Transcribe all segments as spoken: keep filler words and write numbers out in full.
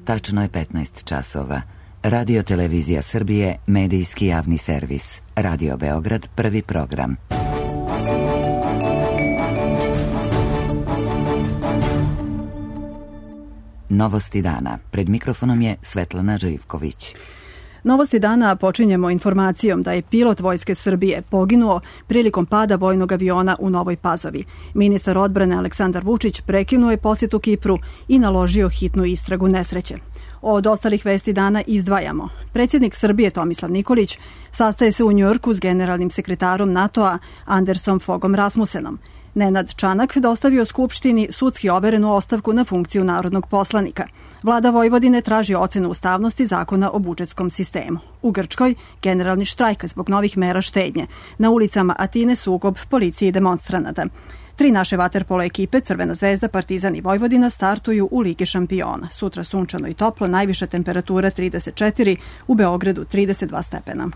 tačno je petnaest časova. Radio Televizija Srbije, medijski javni servis. Radio Beograd, prvi program. Novosti dana. Pred mikrofonom je Svetlana Živković. Novosti dana počinjemo informacijom da je pilot Vojske Srbije poginuo prilikom pada vojnog aviona u Novoj Pazovi. Ministar odbrane Aleksandar Vučić prekinuo je posjetu Kipru i naložio hitnu istragu nesreće. Od ostalih vesti dana izdvajamo. Predsjednik Srbije Tomislav Nikolić sastaje se u Njujorku s generalnim sekretarom NATO-a Andersom Fogom Rasmusenom. Nenad Čanak dostavio Skupštini sudski overenu ostavku na funkciju narodnog poslanika. Vlada Vojvodine traži ocenu ustavnosti zakona o budžetskom sistemu. U Grčkoj generalni štrajk zbog novih mera štednje. Na ulicama Atine sukob policije i demonstranata. Tri naše vaterpolo ekipe, Crvena zvezda, Partizan i Vojvodina, startuju u Ligi šampiona. Sutra sunčano i toplo, najviša temperatura trideset četiri, u Beogradu trideset dva stepena.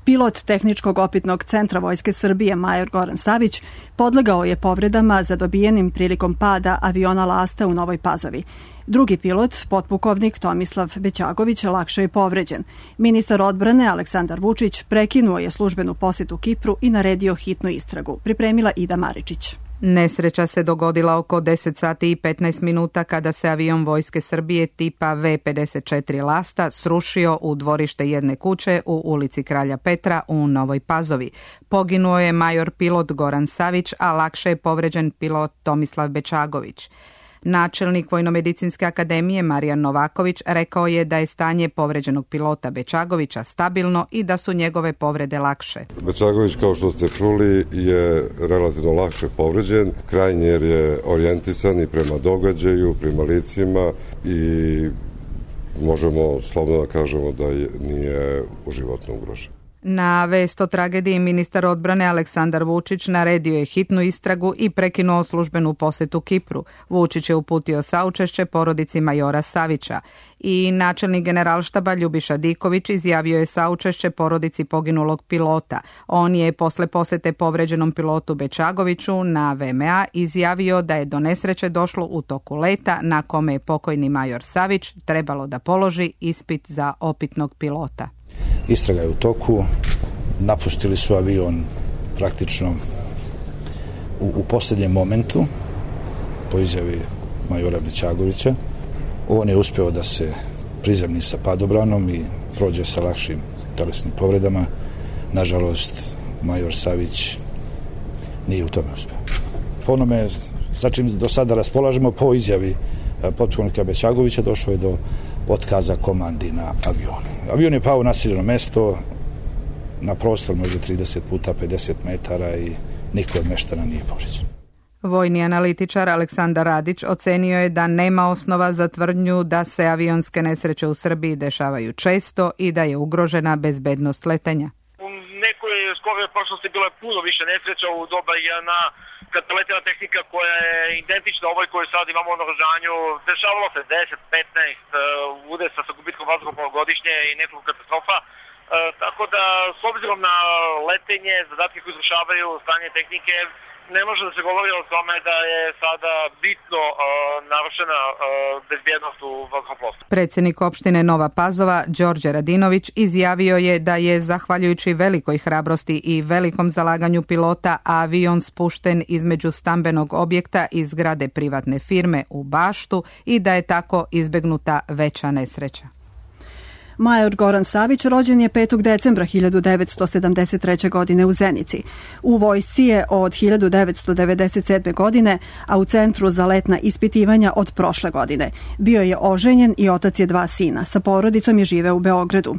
Pilot Tehničkog opitnog centra Vojske Srbije major Goran Savić podlegao je povredama zadobijenim prilikom pada aviona Lasta u Novoj Pazovi. Drugi pilot, potpukovnik Tomislav Bećagović, lakše je povređen. Ministar odbrane Aleksandar Vučić prekinuo je službenu posjetu Kipru i naredio hitnu istragu. Pripremila Ida Maričić. Nesreća se dogodila oko deset sati i petnaest minuta kada se avion Vojske Srbije tipa V pedeset četiri Lasta srušio u dvorište jedne kuće u ulici Kralja Petra u Novoj Pazovi. Poginuo je major pilot Goran Savić, a lakše je povređen pilot Tomislav Bećagović. Načelnik Vojnomedicinske akademije Marijan Novaković rekao je da je stanje povređenog pilota Bećagovića stabilno i da su njegove povrede lakše. Bećagović, kao što ste čuli, je relativno lakše povređen. Krajnjer je orijentisan i prema događaju, prema licima i možemo slobodno da kažemo da je, nije životno ugrožen. Na vest o tragediji ministar odbrane Aleksandar Vučić naredio je hitnu istragu i prekinuo službenu posetu Kipru. Vučić je uputio saučešće porodici majora Savića i načelnik generalštaba Ljubiša Diković izjavio je saučešće porodici poginulog pilota. On je posle posete povređenom pilotu Bećagoviću na V M A izjavio da je do nesreće došlo u toku leta na kome je pokojni major Savić trebalo da položi ispit za opitnog pilota. Istraga je u toku, napustili su avion praktično u, u posljednjem momentu, po izjavi majora Bećagovića. On je uspeo da se prizemni sa padobranom i prođe sa lakšim telesnim povredama. Nažalost, major Savić nije u tome uspeo. Po onome, za čim do sada raspolažemo, po izjavi potpunika Bećagovića došlo je do otkaza komandi na avionu. Avion je pao na naseljeno mesto, na prostor možda trideset puta pedeset metara i niko od meštana nije povređen. Vojni analitičar Aleksandar Radić ocenio je da nema osnova za tvrdnju da se avionske nesreće u Srbiji dešavaju često i da je ugrožena bezbednost letenja. U nekoj skoroj prošlosti bilo je puno više nesreća u doba jedna kad letela tehnika koja je identična ovoj koju sad imamo u naoružanju. Dešavalo se deset petnaest uh, udesa sa gubitkom vazduhoplova godišnje i nekoliko katastrofa. Uh, tako da, s obzirom na letenje, zadatke koje izvršavaju, stanje tehnike, ne može da se govori o tome da je sada bitno uh, narušena uh, bezbjednost u vazduhoplovstvu. Predsjednik opštine Nova Pazova, Đorđe Radinović, izjavio je da je, zahvaljujući velikoj hrabrosti i velikom zalaganju pilota, avion spušten između stambenog objekta i zgrade privatne firme u baštu i da je tako izbegnuta veća nesreća. Major Goran Savić rođen je petog decembra hiljadu devetsto sedamdeset treće. godine u Zenici. U vojsci je od hiljadu devetsto devedeset sedme. godine, a u Centru za letna ispitivanja od prošle godine. Bio je oženjen i otac je dva sina. Sa porodicom je živeo u Beogradu.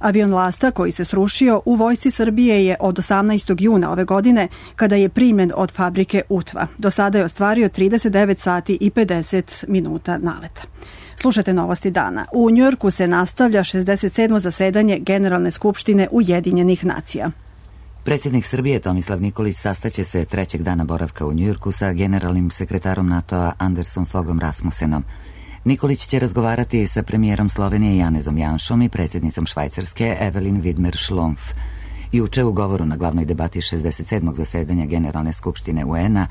Avion Lasta koji se srušio u Vojsci Srbije je od osamnaestog juna ove godine kada je primljen od fabrike Utva. Do sada je ostvario trideset devet sati i pedeset minuta naleta. Slušajte novosti dana. U Njujorku se nastavlja šezdeset sedmo zasedanje Generalne skupštine Ujedinjenih nacija. Predsjednik Srbije Tomislav Nikolić sastaće se trećeg dana boravka u Njujorku sa generalnim sekretarom NATO-a Andersom Fogom Rasmusenom. Nikolić će razgovarati sa premijerom Slovenije Janezom Janšom i predsjednicom Švajcarske Evelin Widmer-Schlumpf. Juče u govoru na glavnoj debati šezdeset sedmog zasedanja Generalne skupštine U N-a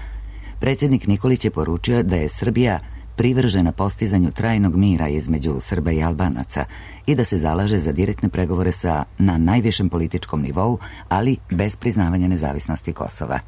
Predsjednik Nikolić je poručio da je Srbija privržena postizanju trajnog mira između Srba i Albanaca i da se zalaže za direktne pregovore sa na najvišem političkom nivou, ali bez priznavanja nezavisnosti Kosova.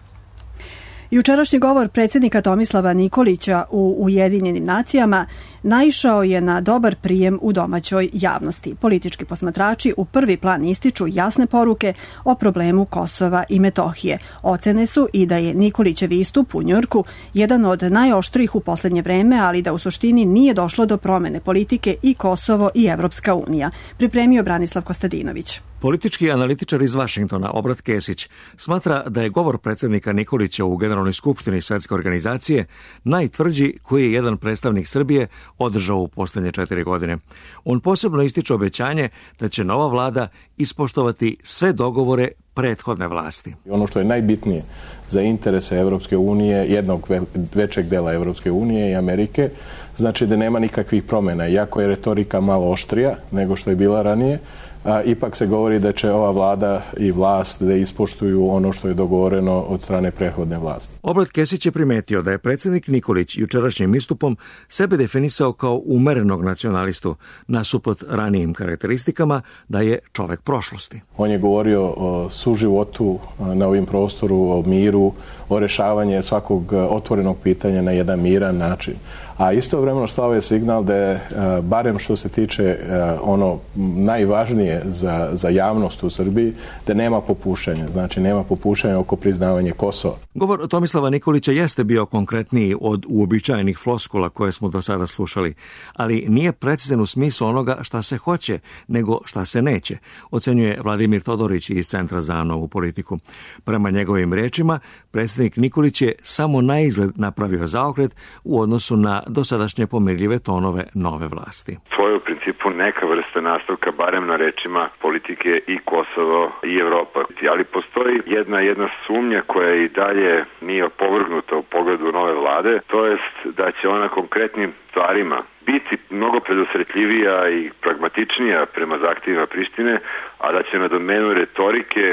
Jučerašnji govor predsjednika Tomislava Nikolića u Ujedinjenim nacijama naišao je na dobar prijem u domaćoj javnosti. Politički posmatrači u prvi plan ističu jasne poruke o problemu Kosova i Metohije. Ocene su i da je Nikolićev istup u Njujorku jedan od najoštrijih u poslednje vreme, ali da u suštini nije došlo do promene politike i Kosovo i Evropska unija. Pripremio Branislav Kostadinović. Politički analitičar iz Vašingtona, Obrat Kesić, smatra da je govor predsjednika Nikolića u Generalnoj skupštini Svetske organizacije najtvrđi koji je jedan predstavnik Srbije održao u posljednje četiri godine. On posebno ističe obećanje da će nova vlada ispoštovati sve dogovore prethodne vlasti. Ono što je najbitnije za interese Evropske unije, jednog većeg dela Evropske unije i Amerike, znači da nema nikakvih promjena. Iako je retorika malo oštrija nego što je bila ranije, a ipak se govori da će ova vlada i vlast da ispoštuju ono što je dogovoreno od strane prethodne vlasti. Obrat Kesić je primetio da je predsjednik Nikolić jučerašnjim istupom sebe definisao kao umerenog nacionalistu, nasuprot ranijim karakteristikama da je čovek prošlosti. On je govorio o suživotu na ovim prostoru, o miru, o rešavanju svakog otvorenog pitanja na jedan miran način. A istovremeno slao je signal da je, barem što se tiče ono najvažnije za, za javnost u Srbiji, da nema popuštanja. Znači, nema popuštanja oko priznavanja Kosova. Govor Tomislava Nikolića jeste bio konkretniji od uobičajenih floskula koje smo do sada slušali, ali nije precizan u smislu onoga šta se hoće, nego šta se neće, ocenjuje Vladimir Todorić iz Centra za novu politiku. Prema njegovim rečima, predsjednik Nikolić je samo na izgled napravio zaokret u odnosu na dosadašnje pomirljive tonove nove vlasti. To je u principu neka vrsta nastavka, barem na rečima politike i Kosovo i Evropa. Ali postoji jedna jedna sumnja koja i dalje nije opovrgnuta u pogledu nove vlade, to jest da će ona konkretnim stvarima biti mnogo predusretljivija i pragmatičnija prema zahtjevima Prištine, a da će na domenu retorike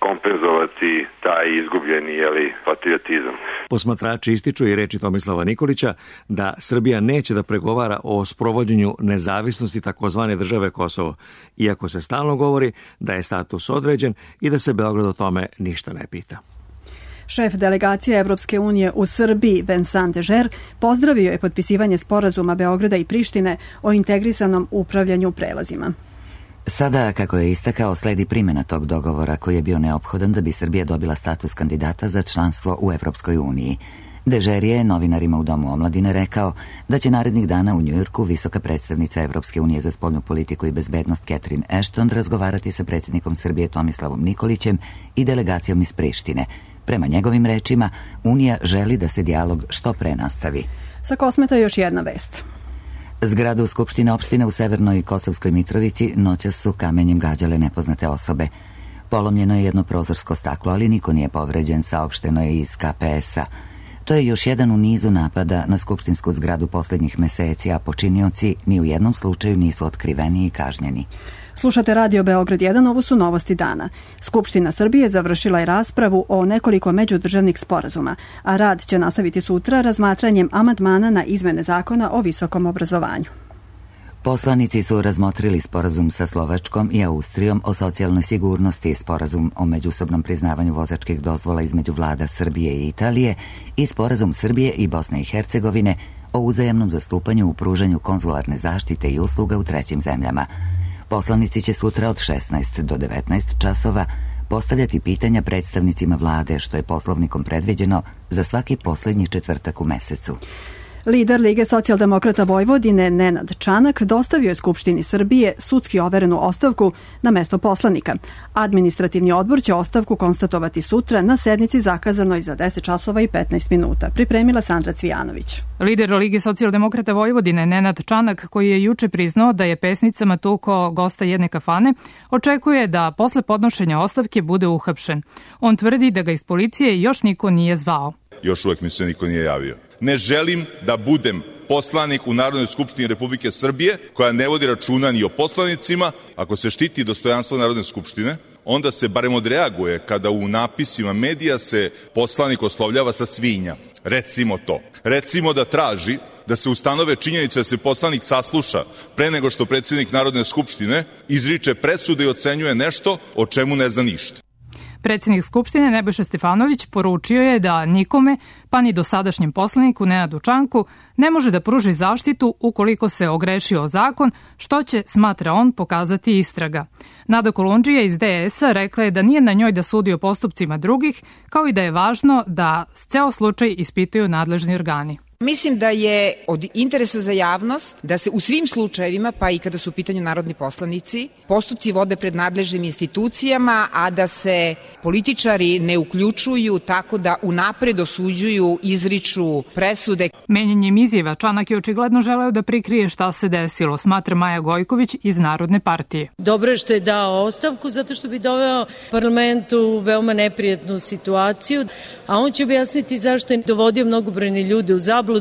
kompenzovati taj izgubljeni jeli, patriotizam. Posmatrači ističu i reči Tomislava Nikolića da Srbija neće da pregovara o sprovođenju nezavisnosti takozvane države Kosovo, iako se stalno govori da je status određen i da se Beograd o tome ništa ne pita. Šef delegacije Evropske unije u Srbiji, Vincent Dežer, pozdravio je potpisivanje sporazuma Beograda i Prištine o integrisanom upravljanju prelazima. Sada, kako je istakao, sledi primjena tog dogovora koji je bio neophodan da bi Srbija dobila status kandidata za članstvo u Evropskoj uniji. Dežer je novinarima u Domu omladine rekao da će narednih dana u Njujorku visoka predstavnica Evropske unije za spoljnu politiku i bezbednost Catherine Ashton razgovarati sa predsjednikom Srbije Tomislavom Nikolićem i delegacijom iz Prištine. Prema njegovim rečima, Unija želi da se dijalog što pre nastavi. Sa Kosmeta još jedna vest. Zgradu Skupštine opštine u Severnoj Kosovskoj Mitrovici noćas su kamenjem gađale nepoznate osobe. Polomljeno je jedno prozorsko staklo, ali niko nije povređen, saopšteno je iz K P S-a. To je još jedan u nizu napada na skupštinsku zgradu posljednjih meseci, a počinioci ni u jednom slučaju nisu otkriveni i kažnjeni. Slušate Radio Beograd jedan, ovo su novosti dana. Skupština Srbije završila je raspravu o nekoliko međudržavnih sporazuma, a rad će nastaviti sutra razmatranjem amandmana na izmene zakona o visokom obrazovanju. Poslanici su razmotrili sporazum sa Slovačkom i Austrijom o socijalnoj sigurnosti, sporazum o međusobnom priznavanju vozačkih dozvola između vlada Srbije i Italije i sporazum Srbije i Bosne i Hercegovine o uzajamnom zastupanju u pružanju konzularne zaštite i usluga u trećim zemljama. Poslanici će sutra od šesnaest do devetnaest časova postavljati pitanja predstavnicima vlade, što je poslovnikom predviđeno za svaki posljednji četvrtak u mesecu. Lider Lige socijaldemokrata Vojvodine Nenad Čanak dostavio je Skupštini Srbije sudski overenu ostavku na mesto poslanika. Administrativni odbor će ostavku konstatovati sutra na sednici zakazanoj za deset časova i petnaest minuta. Pripremila Sandra Cvijanović. Lider Lige socijaldemokrata Vojvodine Nenad Čanak, koji je juče priznao da je pesnicama tukao gosta jedne kafane, očekuje da posle podnošenja ostavke bude uhapšen. On tvrdi da ga iz policije još niko nije zvao. Još uvek mi se niko nije javio. Ne želim da budem poslanik u Narodnoj skupštini Republike Srbije koja ne vodi računa ni o poslanicima. Ako se štiti dostojanstvo Narodne skupštine, onda se barem odreaguje kada u napisima medija se poslanik oslovljava sa svinja. Recimo to. Recimo da traži da se ustanove činjenice da se poslanik sasluša pre nego što predsjednik Narodne skupštine izriče presude i ocenjuje nešto o čemu ne zna ništa. Predsjednik Skupštine Nebojša Stefanović poručio je da nikome, pa ni dosadašnjem poslaniku Nenadu Čanku, ne može da pruži zaštitu ukoliko se ogrešio o zakon, što će, smatra on, pokazati istraga. Nada Kolundžija iz D S-a rekla je da nije na njoj da sudi o postupcima drugih, kao i da je važno da ceo slučaj ispituju nadležni organi. Mislim da je od interesa za javnost da se u svim slučajevima, pa i kada su u pitanju narodni poslanici, postupci vode pred nadležnim institucijama, a da se političari ne uključuju tako da unapred osuđuju, izriču presude. Menjanjem izjava Čanak je očigledno želeo da prikrije šta se desilo, smatra Maja Gojković iz Narodne partije. Dobro je što je dao ostavku zato što bi doveo parlament u veoma neprijatnu situaciju, a on će objasniti zašto je dovodio mnogobrojne ljude u zabludu.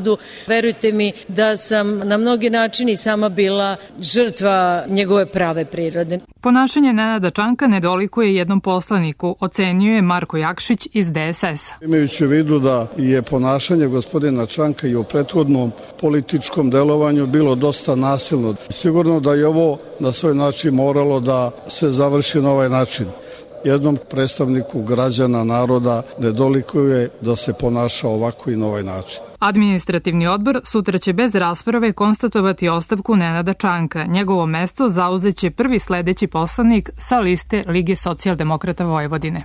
Verujte mi da sam na mnogi načini sama bila žrtva njegove prave prirode. Ponašanje Nenada Čanka ne dolikuje jednom poslaniku, ocenjuje Marko Jakšić iz D S S-a. Imajući u vidu da je ponašanje gospodina Čanka i u prethodnom političkom delovanju bilo dosta nasilno. Sigurno da je ovo na svoj način moralo da se završi na ovaj način. Jednom predstavniku građana, naroda ne dolikuje da se ponaša ovako i na ovaj način. Administrativni odbor sutra će bez rasprave konstatovati ostavku Nenada Čanka. Njegovo mesto zauzeće prvi sledeći poslanik sa liste Lige socijaldemokrata Vojvodine.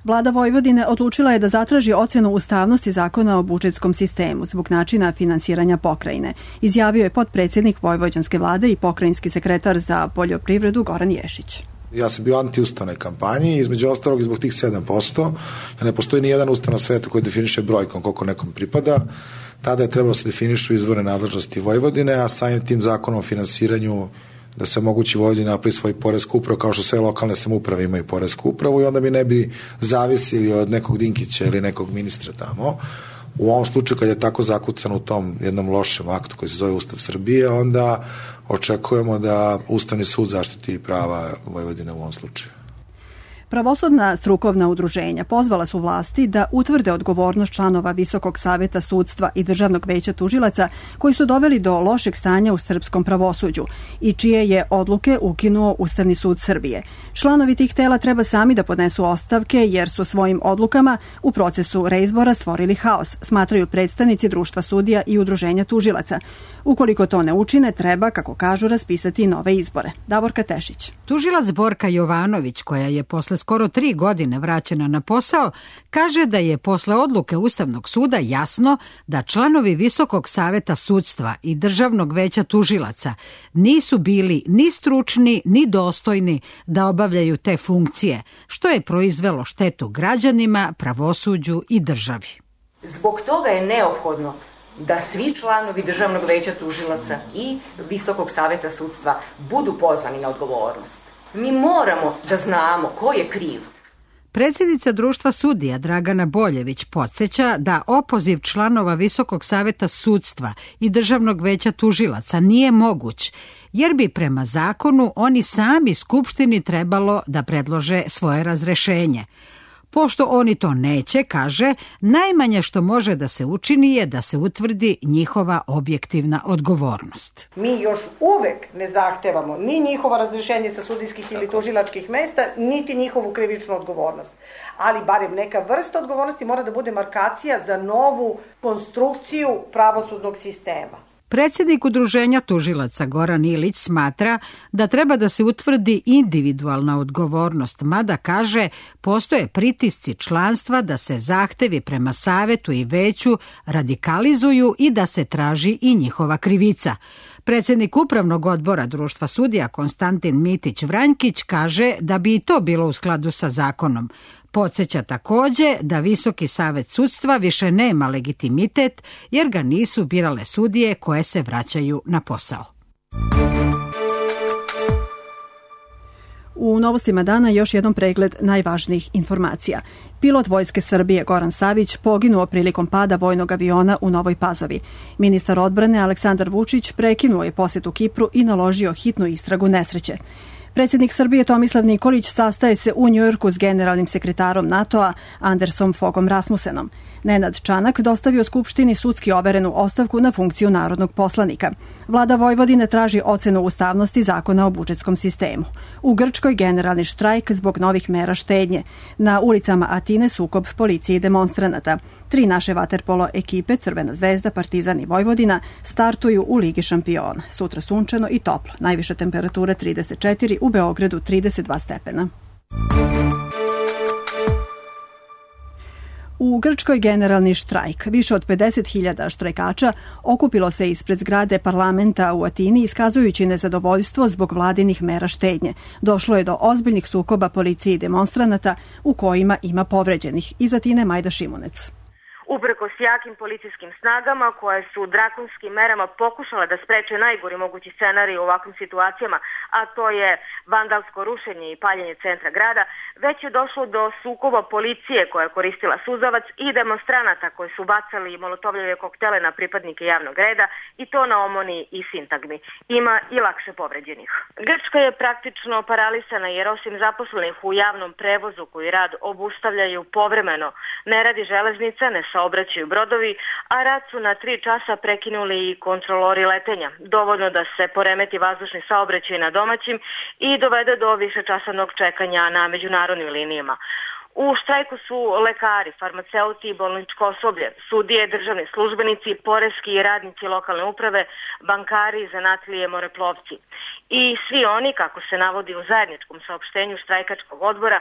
Vlada Vojvodine odlučila je da zatraži ocenu ustavnosti zakona o budžetskom sistemu zbog načina finansiranja pokrajine. Izjavio je potpredsjednik Vojvođanske vlade i pokrajinski sekretar za poljoprivredu Goran Ješić. Ja sam bio anti-ustavnoj kampanji, između ostalog i zbog tih sedam posto, jer ne postoji ni jedan ustav na svetu koji definiše brojkom koliko nekom pripada. Tada je trebalo se definišu izvore nadležnosti Vojvodine, a samim tim zakonom o finansiranju da se omogući Vojvodina napravi svoj poresku upravu, kao što sve lokalne samouprave imaju poresku upravu, i onda mi ne bi zavisili od nekog Dinkića ili nekog ministra tamo. U ovom slučaju, kad je tako zakucan u tom jednom lošem aktu koji se zove Ustav Srbije, onda očekujemo da Ustavni sud zaštiti prava Vojvodine u ovom slučaju. Pravosudna strukovna udruženja pozvala su vlasti da utvrde odgovornost članova Visokog saveta sudstva i Državnog veća tužilaca koji su doveli do lošeg stanja u srpskom pravosuđu i čije je odluke ukinuo Ustavni sud Srbije. Članovi tih tela treba sami da podnesu ostavke jer su svojim odlukama u procesu reizbora stvorili haos, smatraju predstavnici Društva sudija i Udruženja tužilaca. Ukoliko to ne učine, treba, kako kažu, raspisati nove izbore. Davorka Tešić. Tužilac Borka Jovanović, koja je posle skoro tri godine vraćena na posao, kaže da je posle odluke Ustavnog suda jasno da članovi Visokog saveta sudstva i Državnog veća tužilaca nisu bili ni stručni ni dostojni da obavljaju te funkcije, što je proizvelo štetu građanima, pravosuđu i državi. Zbog toga je neophodno da svi članovi Državnog veća tužilaca i Visokog saveta sudstva budu pozvani na odgovornost. Mi moramo da znamo ko je kriv. Predsjednica Društva sudija Dragana Boljević podsjeća da opoziv članova Visokog saveta sudstva i Državnog veća tužilaca nije moguć, jer bi prema zakonu oni sami Skupštini trebalo da predlože svoje razrešenje. Pošto oni to neće, kaže, najmanje što može da se učini je da se utvrdi njihova objektivna odgovornost. Mi još uvek ne zahtevamo ni njihovo razrešenje sa sudijskih ili tužilačkih mesta, niti njihovu krivičnu odgovornost. Ali barem neka vrsta odgovornosti mora da bude markacija za novu konstrukciju pravosudnog sistema. Predsjednik Udruženja tužilaca Goran Ilić smatra da treba da se utvrdi individualna odgovornost, mada kaže postoje pritisci članstva da se zahtevi prema savetu i veću radikalizuju i da se traži i njihova krivica. Predsjednik Upravnog odbora Društva sudija Konstantin Mitić-Vranjkić kaže da bi i to bilo u skladu sa zakonom. Podsjeća takođe da Visoki savet sudstva više nema legitimitet jer ga nisu birale sudije koje se vraćaju na posao. U novostima dana još jednom pregled najvažnijih informacija. Pilot Vojske Srbije Goran Savić poginuo prilikom pada vojnog aviona u Novoj Pazovi. Ministar odbrane Aleksandar Vučić prekinuo je posetu Kipru i naložio hitnu istragu nesreće. Predsjednik Srbije Tomislav Nikolić sastaje se u Njujorku s generalnim sekretarom NATO-a Andersom Fogom Rasmusenom. Nenad Čanak dostavio Skupštini sudski overenu ostavku na funkciju narodnog poslanika. Vlada Vojvodine traži ocenu ustavnosti zakona o budžetskom sistemu. U Grčkoj generalni štrajk zbog novih mera štednje. Na ulicama Atine sukob policije i demonstranata. Tri naše vaterpolo ekipe, Crvena zvezda, Partizan i Vojvodina, startuju u Ligi šampiona. Sutra sunčano i toplo. Najviša temperatura trideset četiri, u Beogradu trideset dva stepena. U Grčkoj generalni štrajk. Više od pedeset hiljada štrajkača okupilo se ispred zgrade parlamenta u Atini iskazujući nezadovoljstvo zbog vladinih mera štednje. Došlo je do ozbiljnih sukoba policije i demonstranata u kojima ima povređenih. Iz Atine Majda Šimunec. Uprkos jakim policijskim snagama koje su drakonskim merama pokušale da spreče najgori mogući scenarij u ovakvim situacijama, a to je vandalsko rušenje i paljenje centra grada, već je došlo do sukoba policije koja je koristila suzavac i demonstranata koji su bacali molotovljeve koktele na pripadnike javnog reda i to na Omoni i Sintagmi. Ima i lakše povređenih. Grčka je praktično paralisana jer osim zaposlenih u javnom prevozu koji rad obustavljaju povremeno, ne radi železnica, ne saobraćaju brodovi, a rad su na tri časa prekinuli i kontrolori letenja. Dovoljno da se poremeti vazdušni saobraćaj na domaćim i dovede do višečasovnog čekanja na međunarodnim linijama. U štrajku su lekari, farmaceuti i bolničko osoblje, sudije, državni službenici, poreski i radnici lokalne uprave, bankari, zanatlije, moreplovci. I svi oni, kako se navodi u zajedničkom saopštenju štrajkačkog odbora,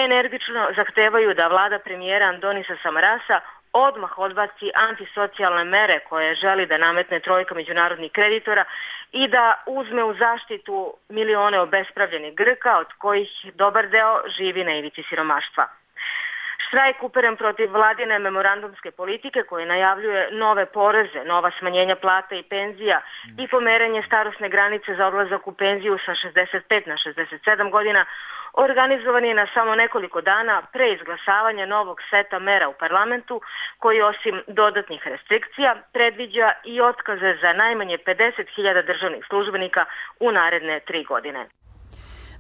energično zahtevaju da vlada premijera Andonisa Samarasa odmah odbaci antisocijalne mere koje želi da nametne trojka međunarodnih kreditora i da uzme u zaštitu milione obespravljenih Grka, od kojih dobar deo živi na ivici siromaštva. Štrajk uperen protiv vladine memorandumske politike koje najavljuje nove poreze, nova smanjenja plata i penzija i pomeranje starosne granice za odlazak u penziju sa šezdeset pet na šezdeset sedam godina, organizovan je na samo nekoliko dana pre izglasavanja novog seta mera u parlamentu koji osim dodatnih restrikcija predviđa i otkaze za najmanje pedeset hiljada državnih službenika u naredne tri godine.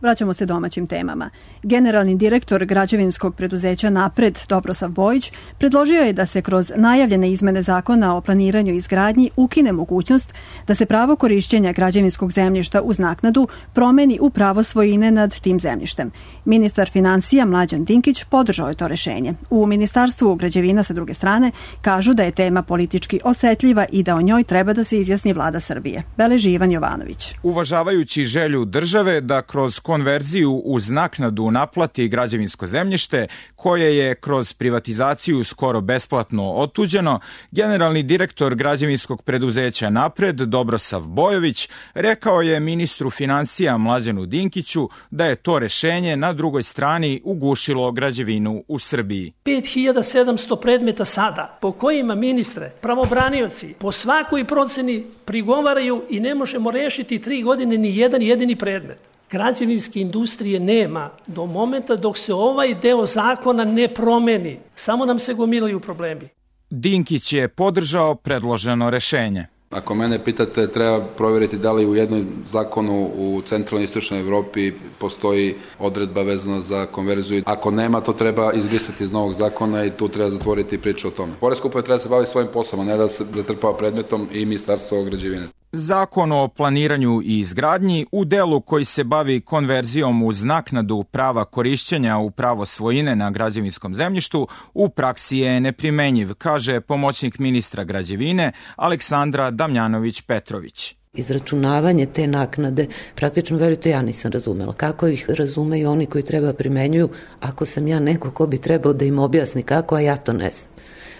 Vraćamo se domaćim temama. Generalni direktor građevinskog preduzeća Napred, Dobrosav Bojić, predložio je da se kroz najavljene izmene zakona o planiranju i izgradnji ukine mogućnost da se pravo korišćenja građevinskog zemljišta uz naknadu promeni u pravo svojine nad tim zemljištem. Ministar finansija Mlađan Dinkić podržao je to rešenje. U Ministarstvu građevina sa druge strane kažu da je tema politički osetljiva i da o njoj treba da se izjasni vlada Srbije. Beleži Ivan Jovanović. Uvažavajući želju države da kroz konverziju uz naknadu naplati građevinsko zemljište, koje je kroz privatizaciju skoro besplatno otuđeno, generalni direktor građevinskog preduzeća Napred, Dobrosav Bojović, rekao je ministru finansija Mlađanu Dinkiću da je to rešenje na drugoj strani ugušilo građevinu u Srbiji. pet hiljada sedamsto predmeta sada, po kojima, ministre, pravobranioci po svakoj proceni prigovaraju i ne možemo rešiti tri godine ni jedan jedini predmet. Građevinske industrije nema do momenta dok se ovaj deo zakona ne promeni. Samo nam se gomilaju problemi. Dinkić je podržao predloženo rešenje. Ako mene pitate, treba provjeriti da li u jednom zakonu u centralnoj i istočnoj Evropi postoji odredba vezana za konverziju. Ako nema, to treba izbrisati iz novog zakona i tu treba zatvoriti priču o tome. Poreska uprava treba se baviti svojim poslom, a ne da se zatrpava predmetom i Ministarstvo građevine. Zakon o planiranju i izgradnji u delu koji se bavi konverzijom uz naknadu prava korišćenja u pravo svojine na građevinskom zemljištu u praksi je neprimenjiv, kaže pomoćnik ministra građevine Aleksandra Damjanović-Petrović. Izračunavanje te naknade, praktično, verujte, ja nisam razumela. Kako ih razumeju oni koji treba primenjuju, ako sam ja neko ko bi trebao da im objasni kako, a ja to ne znam.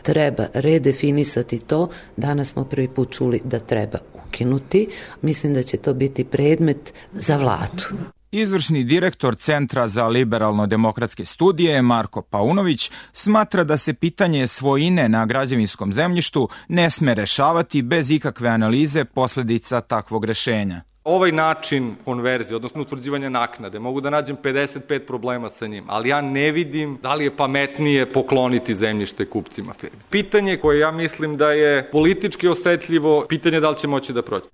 Treba redefinisati to. Danas smo prvi put čuli da treba ukinuti. Mislim da će to biti predmet za vladu. Izvršni direktor Centra za liberalno-demokratske studije Marko Paunović smatra da se pitanje svojine na građevinskom zemljištu ne sme rešavati bez ikakve analize posledica takvog rešenja. Ovaj način konverzije, odnosno utvrđivanja naknade, mogu da nađem pedeset pet problema sa njim, ali ja ne vidim da li je pametnije pokloniti zemljište kupcima firme. Pitanje koje ja mislim da je politički osetljivo, pitanje da li će moći da prođe.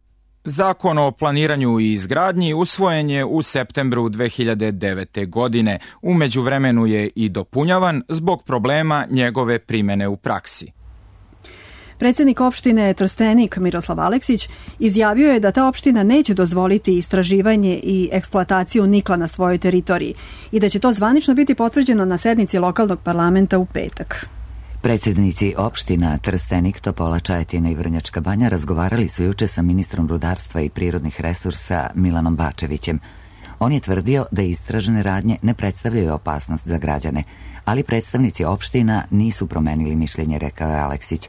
Zakon o planiranju i izgradnji usvojen je u septembru dve hiljade devete. godine. U međuvremenu je i dopunjavan zbog problema njegove primene u praksi. Predsjednik opštine Trstenik Miroslav Aleksić izjavio je da ta opština neće dozvoliti istraživanje i eksploataciju nikla na svojoj teritoriji i da će to zvanično biti potvrđeno na sednici lokalnog parlamenta u petak. Predsjednici opština Trstenik, Topola, Čajetina i Vrnjačka Banja razgovarali su juče sa ministrom rudarstva i prirodnih resursa Milanom Bačevićem. On je tvrdio da istražene radnje ne predstavljaju opasnost za građane, ali predstavnici opština nisu promenili mišljenje, rekao je Aleksić.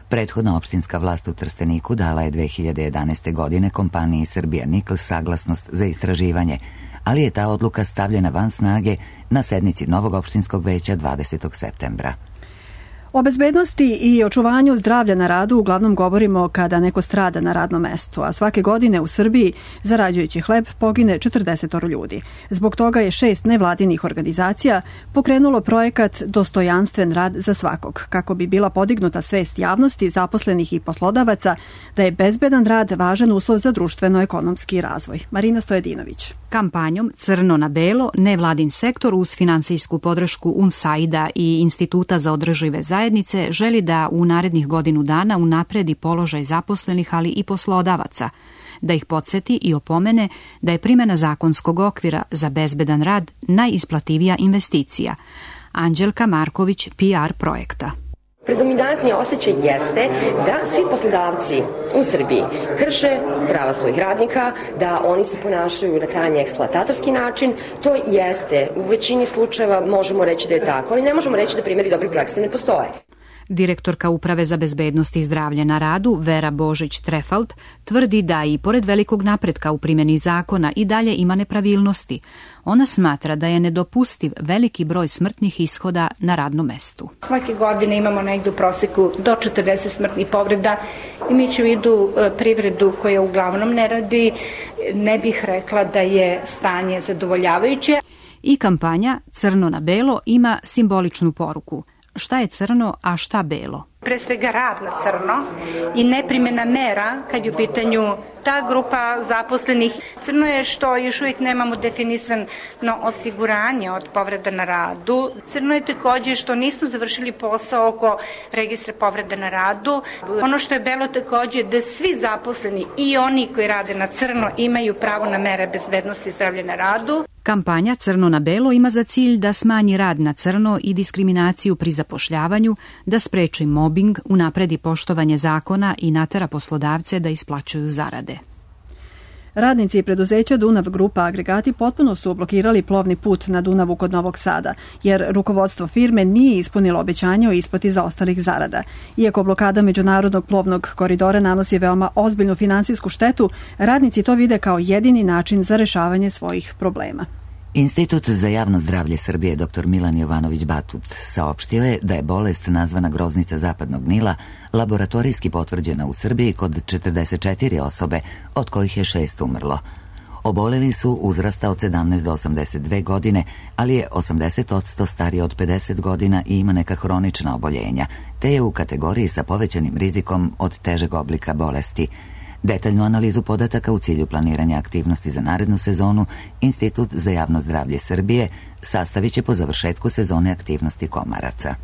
Prethodna opštinska vlast u Trsteniku dala je dve hiljade jedanaeste. godine kompaniji Srbija Nikl saglasnost za istraživanje, ali je ta odluka stavljena van snage na sednici novog opštinskog veća dvadesetog septembra. O bezbednosti i očuvanju zdravlja na radu uglavnom govorimo kada neko strada na radnom mestu, a svake godine u Srbiji, zarađujući hleb, pogine četrdeset ljudi. Zbog toga je šest nevladinih organizacija pokrenulo projekat Dostojanstven rad za svakog, kako bi bila podignuta svest javnosti, zaposlenih i poslodavaca da je bezbedan rad važan uslov za društveno-ekonomski razvoj. Marina Stojedinović. Kampanjom Crno na belo, nevladin sektor uz finansijsku podršku UNSAID-a i Instituta za održive zajednice želi da u narednih godinu dana unapredi položaj zaposlenih, ali i poslodavaca, da ih podsjeti i opomene da je primjena zakonskog okvira za bezbedan rad najisplativija investicija. Anđelka Marković, P R projekta. Predominantni osjećaj jeste da svi poslodavci u Srbiji krše prava svojih radnika, da oni se ponašaju na krajnje eksploatatorski način. To jeste, u većini slučajeva možemo reći da je tako, ali ne možemo reći da primjeri dobre prakse ne postoje. Direktorka Uprave za bezbednost i zdravlje na radu, Vera Božić-Trefalt, tvrdi da i pored velikog napretka u primjeni zakona i dalje ima nepravilnosti. Ona smatra da je nedopustiv veliki broj smrtnih ishoda na radnom mestu. Svake godine imamo negdje u proseku do četrdeset smrtnih povreda. Imajući u vidu privredu koja uglavnom ne radi, ne bih rekla da je stanje zadovoljavajuće. I kampanja Crno na belo ima simboličnu poruku. Šta je crno, a šta belo? Pre svega rad na crno i neprimjena mera kad je u pitanju ta grupa zaposlenih. Crno je što još uvijek nemamo definisano osiguranje od povreda na radu. Crno je također što nismo završili posao oko registra povreda na radu. Ono što je belo također da svi zaposleni i oni koji rade na crno imaju pravo na mere bezbednosti i zdravlja na radu. Kampanja Crno na belo ima za cilj da smanji rad na crno i diskriminaciju pri zapošljavanju, da spreči mobbing, unapredi poštovanje zakona i natera poslodavce da isplaćuju zarade. Radnici preduzeća Dunav Grupa agregati potpuno su blokirali plovni put na Dunavu kod Novog Sada, jer rukovodstvo firme nije ispunilo obećanje o isplati zaostalih zarada. Iako blokada međunarodnog plovnog koridora nanosi veoma ozbiljnu finansijsku štetu, radnici to vide kao jedini način za rešavanje svojih problema. Institut za javno zdravlje Srbije dr Milan Jovanović Batut saopštio je da je bolest nazvana groznica zapadnog Nila laboratorijski potvrđena u Srbiji kod četrdeset četiri osobe, od kojih je šest umrlo. Oboleli su uzrasta od sedamnaest do osamdeset dve godine, ali je osamdeset posto stariji od pedeset godina i ima neka hronična oboljenja, te je u kategoriji sa povećanim rizikom od težeg oblika bolesti. Detaljnu analizu podataka u cilju planiranja aktivnosti za narednu sezonu Institut za javno zdravlje Srbije sastavit će po završetku sezone aktivnosti komaraca.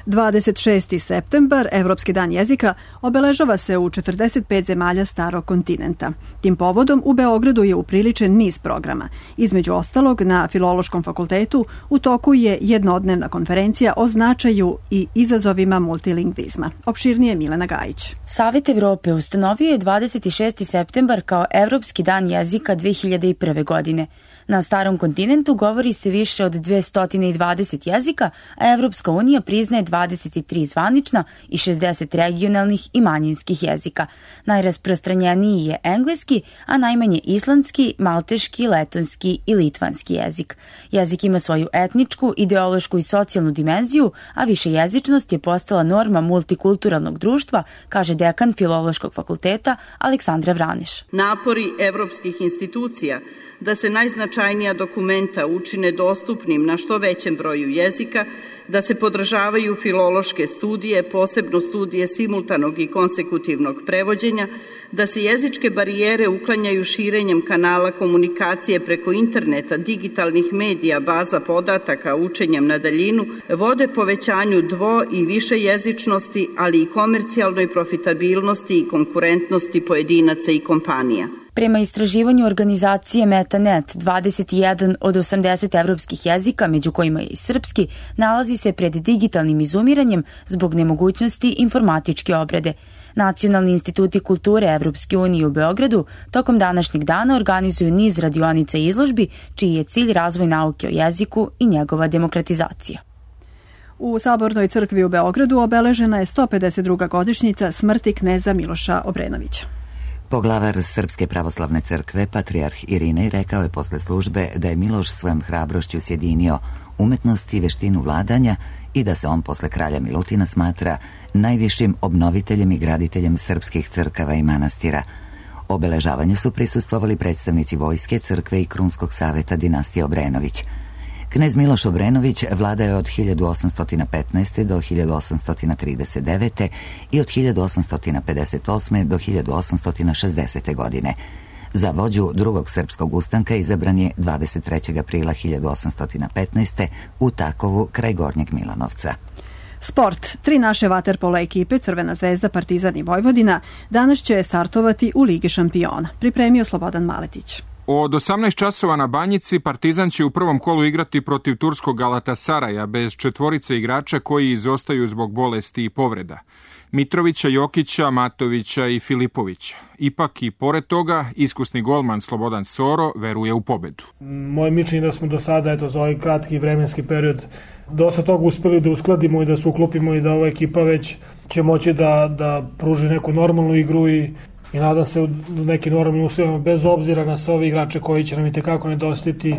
dvadeset šesti septembar, Evropski dan jezika, obeležava se u četrdeset pet zemalja starog kontinenta. Tim povodom u Beogradu je upriličen niz programa. Između ostalog, na Filološkom fakultetu u toku je jednodnevna konferencija o značaju i izazovima multilingvizma. Opširnije Milena Gajić. Savet Evrope ustanovio je dvadeset šesti septembar kao Evropski dan jezika dve hiljade prve. godine. Na starom kontinentu govori se više od dvesta dvadeset jezika, a Evropska unija priznaje dvadeset tri zvanična i šezdeset regionalnih i manjinskih jezika. Najrasprostranjeniji je engleski, a najmanje islandski, malteški, letonski i litvanski jezik. Jezik ima svoju etničku, ideološku i socijalnu dimenziju, a višejezičnost je postala norma multikulturalnog društva, kaže dekan Filološkog fakulteta Aleksandra Vraneš. Napori evropskih institucija da se najznačajnija dokumenta učine dostupnim na što većem broju jezika, da se podržavaju filološke studije, posebno studije simultanog i konsekutivnog prevođenja, da se jezičke barijere uklanjaju širenjem kanala komunikacije preko interneta, digitalnih medija, baza podataka, učenjem na daljinu, vode povećanju dvo- i više jezičnosti, ali i komercijalnoj profitabilnosti i konkurentnosti pojedinaca i kompanija. Prema istraživanju organizacije MetaNet, dvadeset jedan od osamdeset evropskih jezika, među kojima je i srpski, nalazi se pred digitalnim izumiranjem zbog nemogućnosti informatičke obrade. Nacionalni instituti kulture Evropske unije u Beogradu tokom današnjeg dana organizuju niz radionica i izložbi, čiji je cilj razvoj nauke o jeziku i njegova demokratizacija. U Sabornoj crkvi u Beogradu obeležena je sto pedeset druga godišnjica smrti kneza Miloša Obrenovića. Poglavar Srpske pravoslavne crkve, patrijarh Irinej, rekao je posle službe da je Miloš svojom hrabrošću sjedinio umetnost i veštinu vladanja i da se on posle kralja Milutina smatra najvišim obnoviteljem i graditeljem srpskih crkava i manastira. Obeležavanju su prisustvovali predstavnici vojske, crkve i Krunskog saveta dinastije Obrenović. Knez Miloš Obrenović vladao je od hiljadu osamsto petnaeste. do hiljadu osamsto trideset devete. i od hiljadu osamsto pedeset osme. do hiljadu osamsto šezdesete. godine. Za vođu drugog srpskog ustanka izabran je dvadeset trećeg aprila hiljadu osamsto petnaeste. u Takovu kraj Gornjeg Milanovca. Sport. Tri naše vaterpolo ekipe, Crvena zvezda, Partizan i Vojvodina, danas će startovati u Ligi šampiona. Pripremio Slobodan Maletić. Od osamnaest časova na Banjici Partizan će u prvom kolu igrati protiv turskog Galatasaraja bez četvorice igrača koji izostaju zbog bolesti i povreda. Mitrovića, Jokića, Matovića i Filipovića. Ipak i pored toga, iskusni golman Slobodan Soro veruje u pobedu. Moje mišljenje da smo do sada, eto, za ovaj kratki vremenski period dosta toga uspeli da uskladimo i da se uklopimo i da ova ekipa već će moći da, da pruži neku normalnu igru i I nadam se u neki normalni uslovima, bez obzira na sve ove igrače koji će nam i tekako nedostati,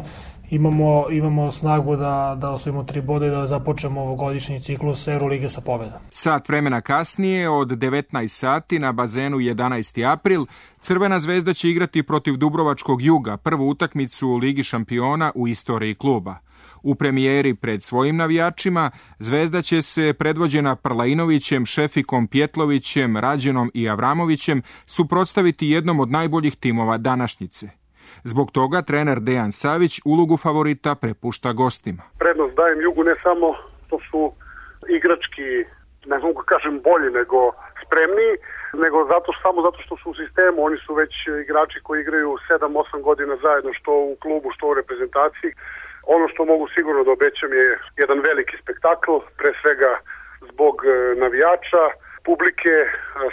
imamo, imamo snagu da, da osvojimo tri boda i da započnemo ovogodišnji ciklus Eurolige sa pobedom. Sat vremena kasnije, od devetnaest sati na bazenu jedanaesti april, Crvena zvezda će igrati protiv Dubrovačkog Juga, prvu utakmicu u Ligi šampiona u istoriji kluba. U premijeri pred svojim navijačima Zvezda će se, predvođena Prlainovićem, Šefikom Pjetlovićem, Rađenom i Avramovićem, suprotstaviti jednom od najboljih timova današnjice. Zbog toga trener Dejan Savić ulogu favorita prepušta gostima. Prednost dajem Jugu ne samo što su igrački, ne mogu kažem bolji nego spremniji, nego zato, samo zato što su u sistemu. Oni su već igrači koji igraju sedam osam godina zajedno, što u klubu, što u reprezentaciji. Ono što mogu sigurno da obećam je jedan veliki spektakl, pre svega zbog navijača, publike,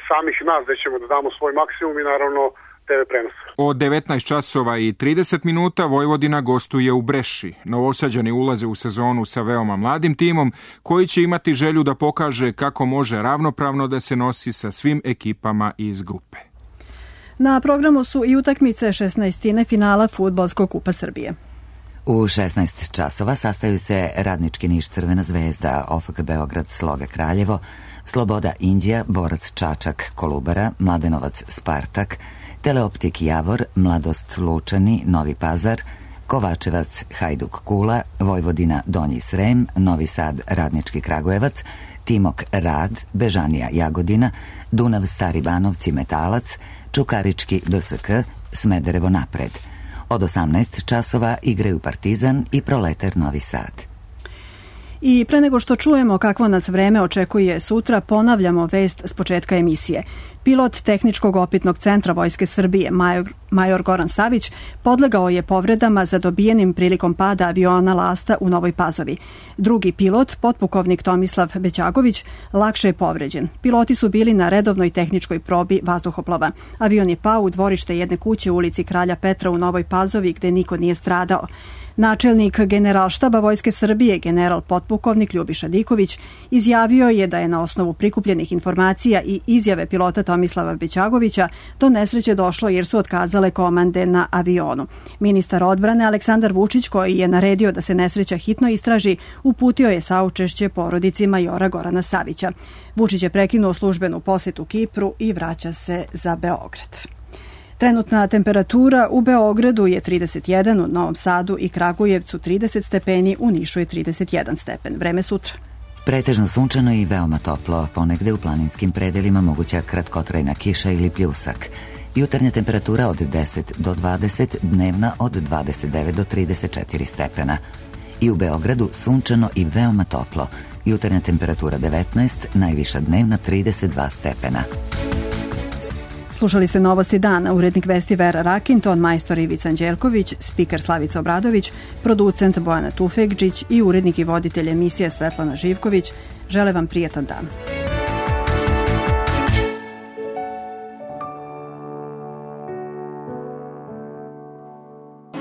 samih nas, da ćemo da damo svoj maksimum i naravno te ve prenos. Od devetnaest časova i trideset minuta Vojvodina gostuje u Breši. Novosađani ulaze u sezonu sa veoma mladim timom koji će imati želju da pokaže kako može ravnopravno da se nosi sa svim ekipama iz grupe. Na programu su i utakmice šesnaestine finala Fudbalskog kupa Srbije. U šesnaest časova sastaju se Radnički Niš Crvena zvezda, O F K Beograd Sloga Kraljevo, Sloboda Indija, Borac Čačak Kolubara, Mladenovac Spartak, Teleoptik Javor, Mladost Lučani Novi Pazar, Kovačevac Hajduk Kula, Vojvodina Donji Srem, Novi Sad Radnički Kragujevac, Timok Rad, Bežanija Jagodina, Dunav Stari Banovci Metalac, Čukarički B S K, Smederevo Napred. Od osamnaest časova igraju Partizan i Proletar Novi Sad. I pre nego što čujemo kakvo nas vreme očekuje sutra, ponavljamo vest s početka emisije. Pilot Tehničkog opitnog centra Vojske Srbije, major, major Goran Savić, podlegao je povredama zadobijenim prilikom pada aviona Lasta u Novoj Pazovi. Drugi pilot, potpukovnik Tomislav Bećagović, lakše je povređen. Piloti su bili na redovnoj tehničkoj probi vazduhoplova. Avion je pao u dvorište jedne kuće u ulici Kralja Petra u Novoj Pazovi, gde niko nije stradao. Načelnik Generalštaba Vojske Srbije, general potpukovnik Ljubiša Diković, izjavio je da je na osnovu prikupljenih informacija i izjave pilota Tomislava Bećagovića do nesreće došlo jer su otkazale komande na avionu. Ministar odbrane Aleksandar Vučić, koji je naredio da se nesreća hitno istraži, uputio je saučešće porodici majora Gorana Savića. Vučić je prekinuo službenu posetu Kipru i vraća se za Beograd. Trenutna temperatura u Beogradu je trideset jedan, u Novom Sadu i Kragujevcu trideset stepeni, u Nišu je trideset jedan stepen. Vreme sutra. Pretežno sunčano i veoma toplo, ponegde u planinskim predelima moguća kratkotrajna kiša ili pljusak. Jutarnja temperatura od deset do dvadeset, dnevna od dvadeset devet do trideset četiri stepena. I u Beogradu sunčano i veoma toplo. Jutarnja temperatura devetnaest, najviša dnevna trideset dva stepena. Slušali ste Novosti dana, urednik vesti Vera Rakin, ton majstor Ivica Anđelković, spiker Slavica Obradović, producent Bojana Tufegđić i urednik i voditelj emisije Svetlana Živković. Žele vam prijatan dan.